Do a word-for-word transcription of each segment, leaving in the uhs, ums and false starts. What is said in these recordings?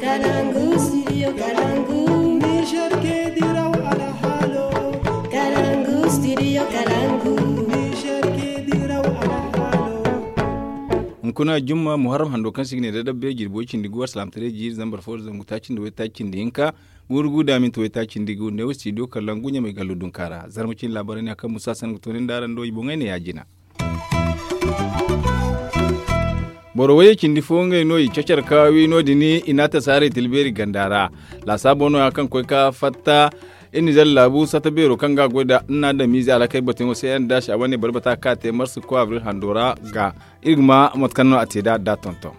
Kalangu, studio Kalangu. Niger ke diraw alhalo. Kalangu, studio Kalangu. Niger ke diraw alhalo. Hunkuna jumma muharram hando kaŋ se i ga ne da dabbe jirbi way cindi gu alsalaamataray jiiri zambar fo da zangu taaci nda way taaci nda hinka. Guuru gu da minti way taaci nda gu ne wo studio Kalangu ɲamay gallo dunka ra zarma cine laabaray ne a kaŋ musa san ga to nin da araŋ do i boŋey ne ya-jina. Boro wayye cindi fo ngey no i cacar ka wi no- din i n'a tasa haray tilbeeri ganda ra. Laasaabo no- ya kaŋ koy ka fatta iri nizer laabu sata beero kaŋ ga a goy nda nna adamiize alhakey batuyaŋo se yaŋ da se a wane bari bata ka te marsi ko abril hando ra ga iri ga ma mate kaŋ no a te nd'a da tonton.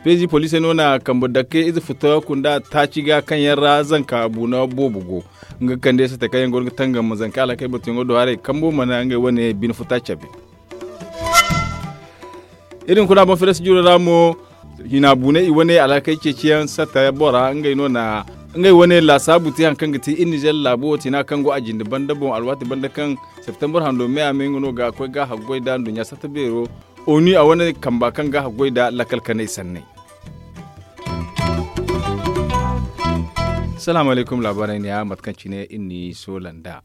Peezi poliisey no na kambe dakke ize futa kunda taaci ga kaŋ yaŋ ra zanka buuna boobo go. Nga ga kande sata kaŋ yaŋ go no ga tangam ma zanka alhakey batuyaŋo do haray kambo mana ngey wane bine futa cabe. Iri hunkuna boŋ feres jiro ra mo hina buunay i wane alhakey ceeciyaŋ sata bora ngey no na ngey wane laasaabu te hari kaŋ ga ti iri nizer laabo wo tina kaŋ go a jinde banda boŋ alwaati banda kaŋ septembar hando me a me nga no ga koy ga haggoy nda nduɲɲa sata beero onu a wane kamba kaŋ ga haggoy nda lakkal kanay sanney. Salaamu alaykum laabaarey ne ya mate kaŋ cine iri n'i soola nd'a.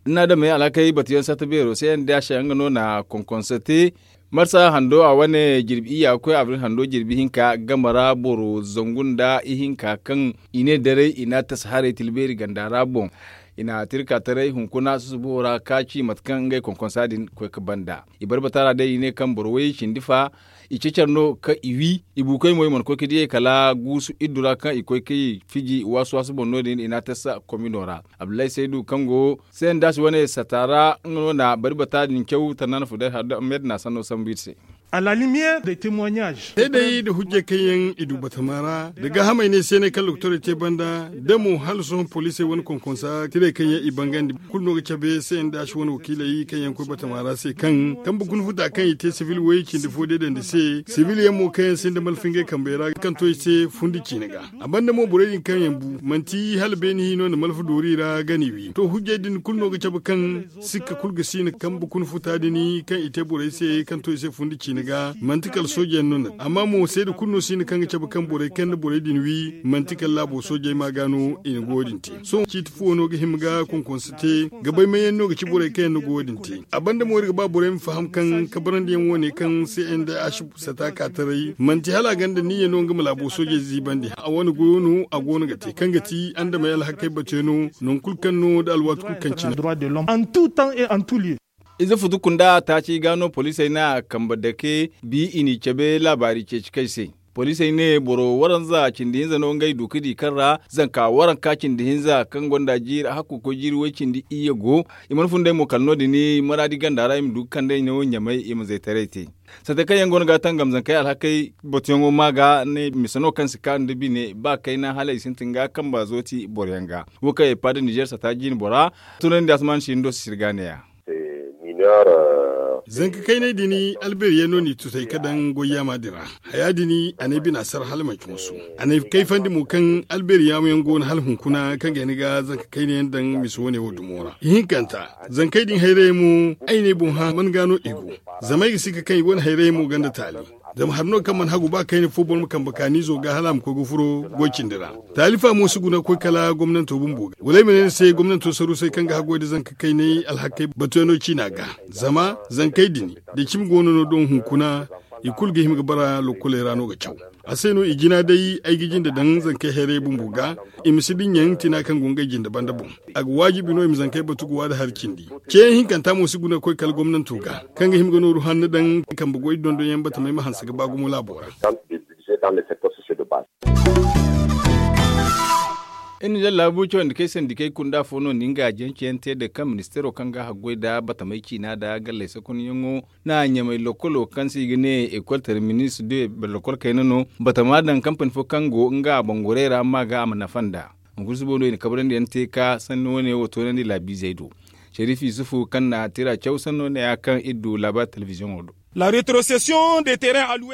Nna adamey alhakey batuyaŋ sata beero se yaŋ da se nga no na konkonso te marsa hando a wane jirbi iyya ga koy abril hando jirbi hinka game ra boro zangu nda ihinka kaŋ i ne daray i n'a tasa haray tilbeeri ganda ra boŋ. I na tirka taray hunkuna susubo ra ka ci mate kaŋ ngey konkonsa din koy ga banda i barbata ra day i ne kaŋ boro way cindi fa i cecar no kaŋ i wi i buukoy mo i mana koy ga diyey kala guusu iddu ra kaŋ i koy ga i fiji waasu waasu boŋ no- din i n'a tasa komino ra. Abdullahi saydu kaŋ go sendas wane sata ra nga no na bari bata din caw tanaana fuday har da ahmed na sanno sambu iri se. A la lumière de témoignage day day nda hujjey kaŋ yaŋ i du batama ra nda gaahamey ne se ne kaŋ lokotorey te banda da mo hala sohõ poliisey wane konkonsa tirey kaŋ yaŋ i bangandi kulu no ga cabe sendas wane wakiiley kaŋ yaŋ koy batama ra se kaŋ kambe kuna futa kaŋ i te sibil way cindi fo deedandi se sibil yaŋ mo kaŋ yaŋ sinda malfa ngey kambey ra kaŋ to i se fundi ciine ga. A banda mo borey din kaŋ yaŋ bu manti hala beene hino nda malfa doori ra gani wi to hujjey din kulu no ga cabe kaŋ sikka kulu ga siina kambe kuna futa din kaŋ i te borey se kaŋ to i se fundi ciine ga manti kala sooje yaŋ no na amma mo seeda kulu no siina kaŋ ga cabe kaŋ borey kaŋ nda borey din wi manti kala laabo soojey ma ga no i na goyo din te sohõ ciiti fuwo no ga hima ga konkonsa te ga bay may yaŋ no ga ci borey kaŋ yaŋ na goyo din te. A banda mo iri ga ba borey ma faham kaŋ kabarandi yaŋ wo- ne kaŋ se nda a si sata ka taray manti hala a gonda niyya no nga ma laabo soojey ziibandi a wane goyo no a go no ga te kaŋ ga ti andamey alhakey bate no nangu kulu kaŋ no nda alwaati kulu kaŋ cine. Ize futu kunda taaci ga no poliisey na kambe dake bi i n'i cabe laabaari ceeci kay se. Poliisey ne boro waranza cindi hinza no ngey du ga di kaŋ ra zanka waranka cindi hinza kaŋ gonda jiiri hakku koy jiiri way cindi iyye go. I mana fun day mo kala no- din maraadi ganda ra i ma du ga kand'ey no ɲamay i ma zaytaray te. Sata kaŋ yaŋ go no ga tangam zankey alhakey batuyaŋo ma ga ne mise no kaŋ si kaanu nda bine ba kayna hala i sintin ga kamba zooti boroyaŋ ga. Wo kaŋ ay paada nizer sata jiine bora tunandi asman sindo si sirga ne ya. Zanka kaynay din alberiyaŋ no n'i tutay ka daŋ goy yaama din ra. Haya din a ne bina sar hala manci musu. A ne kayfandi mo kaŋ alberiyaŋ yaŋ go no hala hunkuna kaŋ ga ni ga zanka kaynayaŋ daŋ mise wane wo dumo ra ihinkanta. Zankey din hayray mo ay ne boŋ hã man ga no i go. Zama ay ga si ka kaŋ i wane hayray mo ganda taali. Zama hari no kaŋ mana hagu ba kayna fo boro ma kambe kaaniizo ga hala a ma koy ga furo goy cindi ra. Taalifa mo si guna ga koy kala gomnanto bumbo ga wala ay ma ne ni se gomnanto sarusey kaŋ ga haggoy nda zanka kaynay alhakey batuyaŋo ciina ga. Zama zankey din da cimi goono no doŋ hunkuna i kulu ga hima ga bara lokkoley ra no ga caw. A se no i jina day ay ga jinde daŋ zankey hayrey bumbo ga. I ma si dinya tina kaŋ go ngey jinde banda boŋ. A ga waajibi no i ma zankey batu ga waada hari cindi. Ceeyaŋ hinkanta mo si guna ga koy kala gomnanto ga kaŋ ga hima ga nooru hanno daŋ kambe goy dondonyaŋ batamey ma hanse ga ba gumo laabo ra. Iri na daŋ laabu cawandi kay sandikey kunda fo no nda nga jance yaŋ te da kaŋ ministeero kaŋ ga haggoy nda batamey ciina nda galley sakunyaŋo na ɲamay lokkolo kaŋ se i ga ne ekol terminis de lokol kayna no batama daŋ kampani fo kaŋ go nga bangorey ra ma ga a ma nafa nd'a. Hunkuna subo no i na kabrandi yaŋ te ka sanni wane wo toonandi laabiizey do. Sharif yusufu kaŋ na tira caw sanno ne ya kaŋ iri du laabaari telebiziyoŋo do.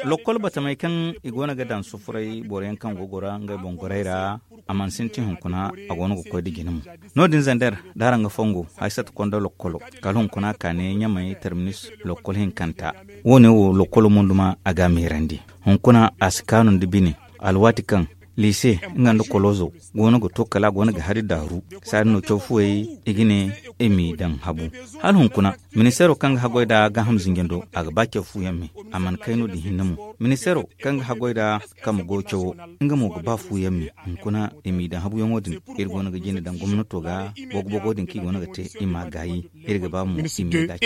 Lokol batamey kaŋ i go no ga daŋ sufuray boro yaŋ kaŋ go ga goro ngey boŋ gorey ra a mana sintin hunkuna a go no ga koy nda jina mo. No- din zander da araŋ ga fongo haysata konda lokolo kala hunkuna ka ne ɲamay terminis lokol hinkanta. Wo- ne wo lokolo mo duma a ga a meerandi. Hunkuna a si kaanu nda bine. Alwaati kaŋ liise nga nda kolozo go no ga to kala a go no ga hari daaru, saadin no caw fuwey i ga ne i m'i daŋ habu. Hala hunkuna, ministeero kaŋ ga haggoy nda gaaham zinjando, a ga ba caw fuyaŋ me. A mana kay no- din hinne mo. Ministeero kaŋ ga haggoy nda kambe goyo cawo, nga mo ga ba fuyaŋ me. Hunkuna i m'i daŋ habuyaŋo din, iri go no ga jinde daŋ gomnato ga, bogo-bogo din kaŋ i go no ga te, i m'a gaayi. Iri ga ba mo i m'i gaayi.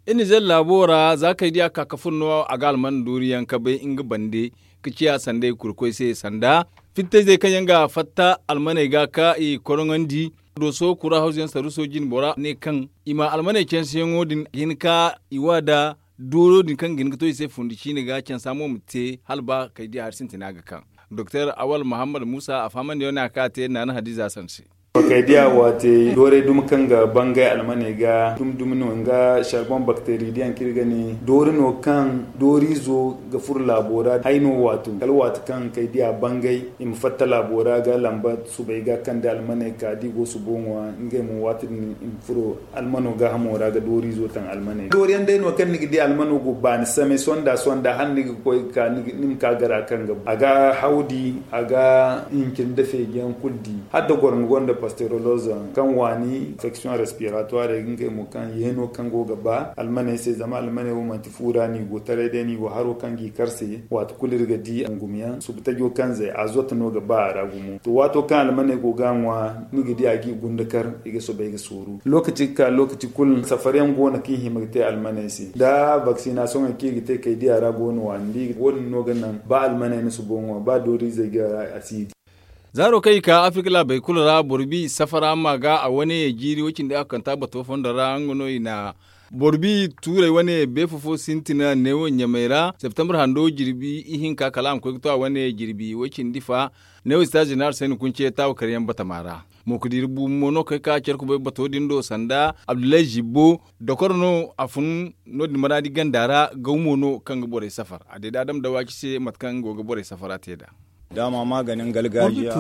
Iri na zalla laabo ra za kay di a ka ka furo no a ga alman dooriyaŋ ka bay nga bande, ka ciya sanda i kurkoy se sanda fittayzey kaŋ yaŋ ga fatta almaney ga ka i koroŋandi. Dooso kura hawzuyaŋ saruuso jine bora ne kaŋ i ma almaney canseyaŋo din ga hin ka i wa nda dooro din kaŋ ga hin ga to i se fundi ciine ga cansa mo ma te hala ba kay di hari sintina ga kaŋ. Doktor awal muhammad muusa a fahamandi yaŋ ne a ka te naana hadiza sanse. Kay diya waate doorey dumi kaŋ ga bangay almaney ga dumi-dumi no nga sarbon bakteri diyaŋ kaŋ iri ga ne doori no kaŋ dooriizo ga furo laabo ra hay no waatu kala waati kaŋ kay diya bangay i ma fatta laabo ra ga lamba subay ga kande almaney ka da i go subo ŋwa ngey mo waati din i ma furo almano gaahamo ra ga dooriizo taŋ almaney dooriyaŋ day no kaŋ ni ga di almano go baani samay sonda sonda hala ni ga koy ga ka ni ma ka gara kaŋ ga a ga hawdi a ga hincin da feejiyaŋ kulu di hala da goro nga gonda pasteuroloza kaŋ waani infection respiratoire ngey mo kaŋ yeeno kaŋ go ga ba almaney se zama almaney wo manti fu ra no i go taray day no i go haro kaŋ g'i kar se waati kulu iri ga di angumyaŋ subu tajo kaŋ zay azote no ga ba a ra gumo to waato kaŋ almaney go ga a ŋwa ni ga di a g'i gunda kar i ga soobay ga sooru lokaci ga ka lokaci kulu safaryaŋ go no kaŋ i hima ga te almaney se da vaccination kaŋ i ga te kay diya ra go no waani da i ga wo- din no ga naŋ ba almaney na subo ŋwa ba dooriizey ga a si di. Zaaro kaŋ i ka afirka laabey kulu ra boro bi safara ma ga a wane jiiri wo- cindi a kanta bato fondo ra nga no i na boro bi tuurey wane beefo fo sintina neewo ɲamey ra septembre hando jirbi ihinka kala a ma koy ga to a wane jirbi wo- cindi fa neewo sita zeneral sayni kunce taawo karyaŋ batama ra. Mo ga diiri buubu mo no kaŋ ay ka care kubay bato din do sanda abdullahi zibbo dokoro no a fun no- din maraadi ganda ra gaw mo no kaŋ ga borey safar a deeda adama dawaci se mate kaŋ go ga borey safara te nd'a. Daama ma ga naŋ galgaajiya.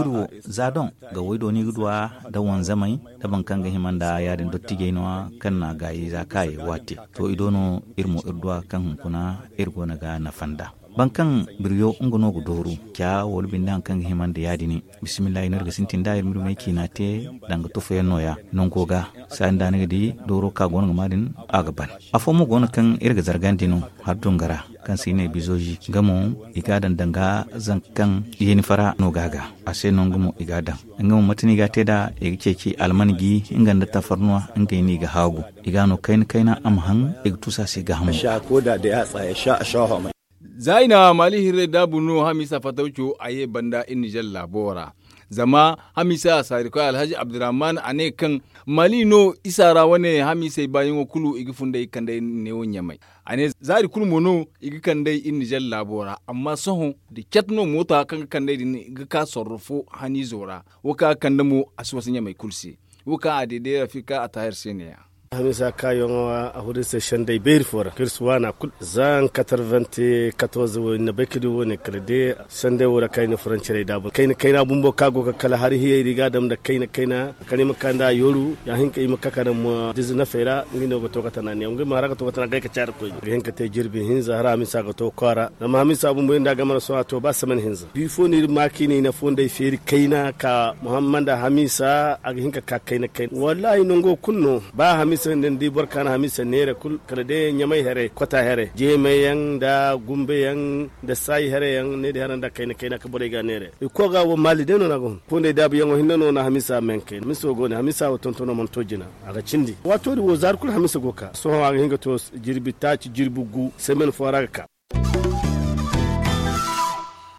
Za doŋ ga waydo no i ga duw'a nda wanzamey nda boro kaŋ ga hima nda ya- din dottijey no- ya kaŋ na a gaayi za kaayey waate. To i do no iri mo iri duw'a kaŋ hunkuna iri go no ga nafa nd'a. Boro kaŋ biriyo nga no ga dooru ca wala binde hari kaŋ ga hima nda ya- din bisimillahi no iri ga sintin nd'a iri ma iri may ciina te danga tufayaŋ no- ya nango ga saaya nda ni ga di dooro kaŋ a go no ga ma din a ga ban. Afo mo go no kaŋ iri ga zargandi no hari dunga ra kaŋ se i ne bizozi nga mo i ga a daŋ danga zanka kaŋ yeeni fara no ga a ga a se no nga mo i ga a daŋ. Nga mo mate no i ga a te nd'a i ga ceeci alman gi nga nda tafarnuwa ngey no i ga haagu i ga a no kayna kayna a ma haŋ i ga tuusu a se gaahamo. Za i na maali hirrey daabu no hamiisa fatawco a ye banda iri nizer laabo ra. Zama hamiisa saarikoy alhazi abdurrahman a ne kaŋ maali no isa ra wane hamiisey baayaŋo kulu i ga fun nd'ey ga kand'ey neewo ɲamey. A ne zaari kulu mo no i ga kand'ey iri nizer laabo ra amma sohõ da cat no mooto kaŋ ga kand'ey din ga ka sorro fo haniizo ra wo kaŋ a ga kande mo a si wasa ɲamey kulu se. Wo kaŋ a deede rafika a taahir se ne- ya. Hamiisa kaayaŋo a furo iri se sendey beeri fo ra kaŋ iri si waana kulu za katarventi katorze wo iri na bay ka di wo- ne kala day sendey wo ra kaŋ ay na furancirey daabu kayna kayna bumbo kaŋ a go ga kala hari hiyey ra i ga a daŋ nda kayna kayna kala i ma ka nda a yooru ya hinka i ma ka ka daŋ mo dizinafey ra. Nga no ga to ga tana neewo nga mo hara ga to ga tana day ka caari koyne ga hin ka te jirbi hinza hala hamiisa ga to kwaara zama hamiisa bumbo iri nda a game ra sohõ a to ba saman hinza. Bifo no iri ma kaŋ i na i na fondey feeri kayna ka muhammad hamiisa a ga hin ka ka kayna kayna wallaahi nango kulu no. Ba hamiisa nda ni di boro kaŋ na hamiisa neera kulu kala day ɲamay haray kota haray jeemay yaŋ nda gumba yaŋ nda saayi haray yaŋ ne din haray nda kayna kayna ka borey ga neera. I koy ga wo maali day no no a ga hun fondey daabu yaŋo hinne no na hamiisa menkay hamiisa wo go ne hamiisa wo tontono mana to jina. A ga cindi waato din wo zaari kulu hamiisa go ga ka sohõ a ga hin ga to jirbi taaci jirbi gu semen fo ra ga ka.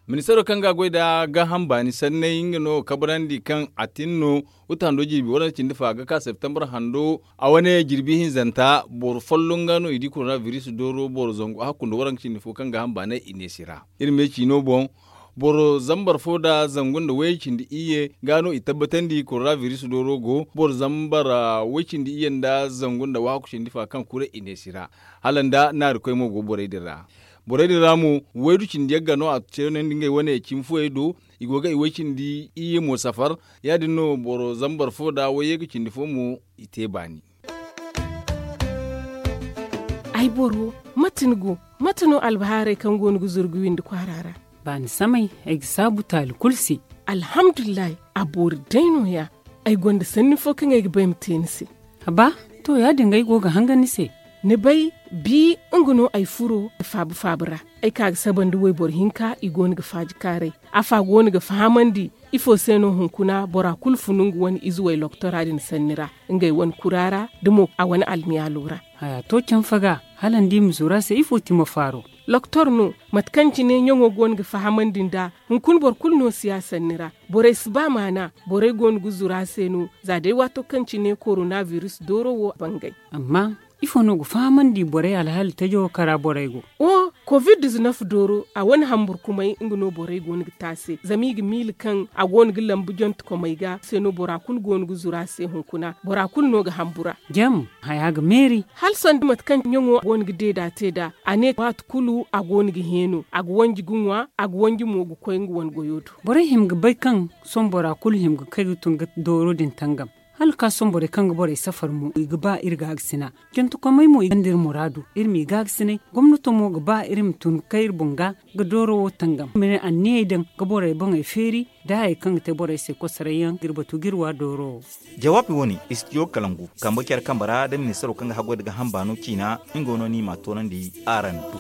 Ministeero kaŋ ga a goy nda gaaham baani sanney nga no ga kabrandi kaŋ a tin no wuta hando jirbi waranka cindi fo a ga ka septembre hando a wane jirbi hinzanta boro folloŋ ga no i di korona biris dooro boro zangu a hakkundo waranka cindi fo kaŋ gaaham baanay i ne si ra. Iri me ciino boŋ boro zambar fo nda zangu nda way cindi iyye ga no i tabbatandi korona biris dooro go boro zambar way cindi iyye nda zangu nda wahakku cindi fo kaŋ kure i ne si ra. Hala nda naari koy mo go borey din ra. Borey din ra mo waydu cindi yagga no a ceenandi ngey wane cimi fooyey do. I go ga i way cindi iyye mo safar. Ya- din no boro zambar fo nda wayye ga cindi fo mo i te baani. Ay boro, mate ni go? Mate no albahaarey kaŋ go no ga zuru ga windi kwaara ra? Baani samay, ay ga saabu taali kulu se. Alhamdulillahi, a boori day no- ya. Ay gonda sanni fo kaŋ ay ga ba ay ma te ni se. Haba, to, ya- din ga ay go ga hangan ni se. Ni bay, bi nga no ay furo faabu faabu ra. Ay ka ga saba nda wayboro hinka, i go no ga faaji kaaray. Afa go no ga fahamandi ifo se no hunkuna bora kulu funu nga wane ize way loktora din sanni ra, ngey wane kura ra, da mo a wane almiyaalo ra. Haya to canfa ga, hala ni di ma zuru a se ifo ti ma faaro? Loktor no, mate kaŋ cine ɲaŋo go no ga fahamandi nd'a. Hunkuna boro kulu no si ya sanni ra. Borey si ba maana. Borey go no ga zuru a se no, za day waato kaŋ cine korona biris dooro wo bangay. Amma ifo no ga fahamandi borey alhaali tajo kara borey go? O, covid dizinef dooro, a wane hamburkumay nga no borey go no ga te a se, zama i ga miila kaŋ a go no ga lambu jonte komey ga se no bora kulu go no ga zuru a se hunkuna, bora kulu no ga hambura. Jam, haya ga meeri. Hala sanda mate kaŋ ɲaŋo go no ga deeda te nd'a, a ne waati kulu a go no ga heeno, a ga wanji ga ŋwa, a ga wanji mo ga koy nga wane goyo do. Borey hima ga bay kaŋ sohõ bora kulu hima ga kay ga tun ga dooro din tangam. Hala ka sohõ borey kaŋ ga borey safar mo, i ga ba iri gaagasina. Jantakomey mo, i gonda iri muraadu, iri m'i gaagasina. Gomnato mo ga ba iri ma tun ga kay iri boŋ ga, ga dooro wo tangam. Mene anniyey daŋ ga borey boŋey feeri, da hayey kaŋ ga te borey se kosoray yaŋ ga iri batu ga iri wa dooro wo. Jawaabi wo- ne, istidiyo kalangu kambe care kambe ra da ministaro kaŋ ga haggoy da ga hamba no ciina, nga wo no ni m'a toonandi araŋ do.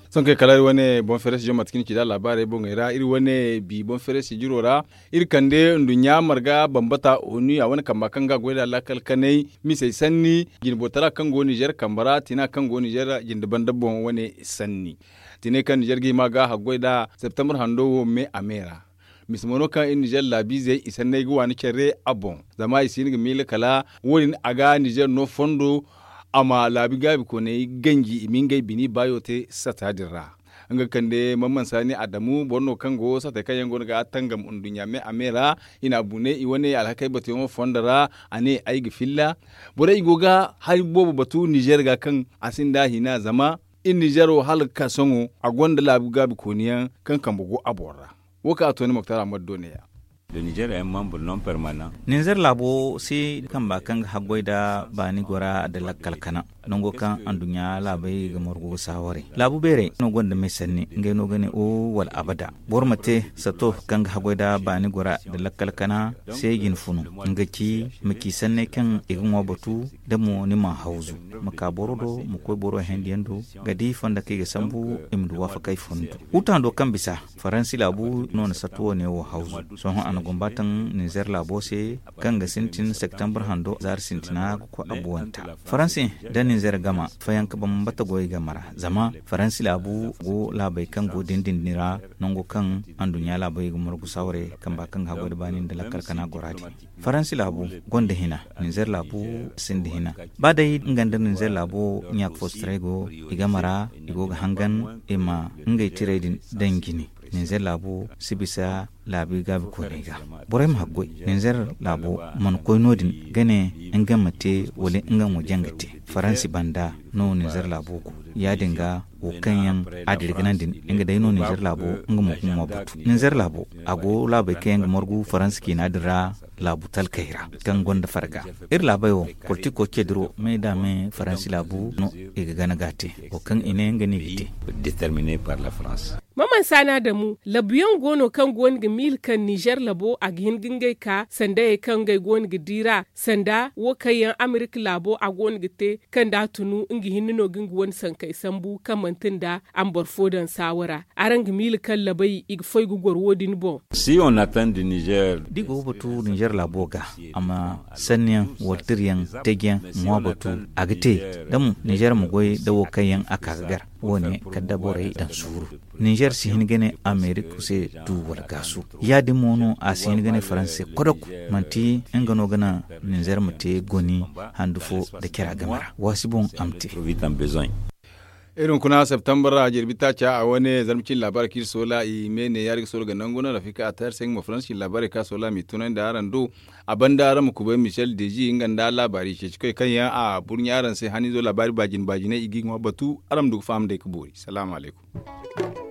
Sohõ kay kala iri wane boŋ feere sijiro mate kaŋ ni ci nd'a laabaarey boŋey ra, iri wane bi boŋ feere sijiro ra, iri kande nduɲɲa marga bambata onu a wane kamba kaŋ ga goy nd'a laakal kanay misey sanni, jinbotara kaŋ go nizer kambe ra, tina kaŋ go nizer jinde banda boŋ wane sanni. Tinay kaŋ nizer ga hima ga haggoy nd'a septembre hando wo me a me ra. Misa mo no kaŋ iri nizer laabiizey i sanney ga waani care a boŋ, zama i si hin ga miila kala wo- din a ga nizer no fondo, a ma laabi gaabi kooney ganji i ma ngey bini baayo te sata din ra. Nga kande mamman saani adamu boro no kaŋ go satey kaŋ yaŋ go no ga tangam nduɲɲa me a me ra. I n'a bu ne i wane alhakey batuyaŋo fondo ra. A ne ay ga filla borey i go ga hari boobo batu nizer ga kaŋ a sinda hina zama iri nizer wo hala ga ka sohõ a gonda laabi gaabi kooni yaŋ kaŋ kambe go a boŋ ra. Wo kaŋ a to ni moktar ahmad do ne ya. Ninzeer laabo se kamba kaŋ ga haggoy nda baani gora nda lakkal kana, nango kaŋ anduɲɲa laabey ga margu ga saawaray laabu beerey no gonda me sanni ngey no ga ne o wala abada. Boro ma te sato kaŋ ga haggoy nda baani gora nda lakkal kana se jine funu, nga ci ma ci sanney kaŋ i ga ŋwa batu, da mo ni m'a hawzu, ma ka boro do ma koy boro hendiyaŋ do ga di fonda kaŋ i ga sambu. I ma du waafakay fondo huta hando kaŋ bisa faransi laabu no na satta wane wo hawzu. Sohõ a na gumba taŋ ninzeer laabo se kaŋ ga sintin septembre hando zaari sintina ga koy abuwanta. Faransi nda ninzeer gama fayanka bambata goy game ra zama faransi laabu go laabey kaŋ go dindin ra nango kaŋ anduɲɲa laabey ga margu sawre kamba kaŋ ga haggoy nda baani nda lakkal kana gora din. Faransi laabu gonda hina, ninzeer laabu sinda hina. Ba day nga nda ninzeer laabo ɲaaka foostaray go i game ra, i go ga hangan i ma ngey tirey din daŋ jine. Ninzeer laabo si bisa laabi gaabikooney ga. Borey ma haggoy ninzeer laabo mana koy no- din ga ne nga ma te wala nga mo jaŋ ga te. Faransi banda no ninzeer laabo go. Ya- din ga wo kaŋ yaŋ a dira ga naŋ din, nga day no ninzeer laabo nga mo ga ŋwa batu ninzeer laabo. A go laabey kaŋ yaŋ ga margu faransi ciina din ra, laabu talkey ra kaŋ gonda farga. Iri laabey wo, politiko ce diro me da me faransi laabu no i ga gana ga te, wo kaŋ i ne nga no i ga te. Maman saana damu labuyaŋ go no kaŋ go no ga miila kaŋ nizer labo a ga hin ga ngey ka sandayey kaŋ ngey go no ga di ra sanda wo kaŋ yaŋ amerika laabo a go no ga te kaŋ da a tunu nga hinne no ga nga wane sankey sambu kaŋ manti nda a ma boro fo daŋ saawara. Araŋ ga miila kaŋ labey i ga foy ga goro wo- din boŋ. Si on attend nizer. Da i go ga batu nizer laabo ga, a ma sanniyaŋ wala tirayaŋ tajiyaŋ ŋwa batu. A ga te da mo nizer ma goy da wo kaŋ yaŋ a ka ga gar wo- ne kala da borey daŋ suuru. Nizer si hin ga ne amerika se du wala gaasu. Ya- din mo no a si hin ga ne faransa se kodok. Manti nga no ga naŋ nizer ma te goni handu fo nda cara game ra waasi boŋ a ma te. Iri hunkuna septembre ra jirbi taaca a wane zarma cine laabaarey kaŋ iri soola i me ne yaari ga soola ga nangu no rafika a tayar se nga mo faransa cine laabaarey kaŋ a soola m'i tunandi araŋ do. A banda araŋ ma kubay michel deji nga nda laabaari ceecikoy kaŋ yaŋ a burɲa araŋ se haniizo laabaari baajine baajiney i g'i ŋwa batu. Araŋ ma du ga faham day ga boori salaamu alaykum.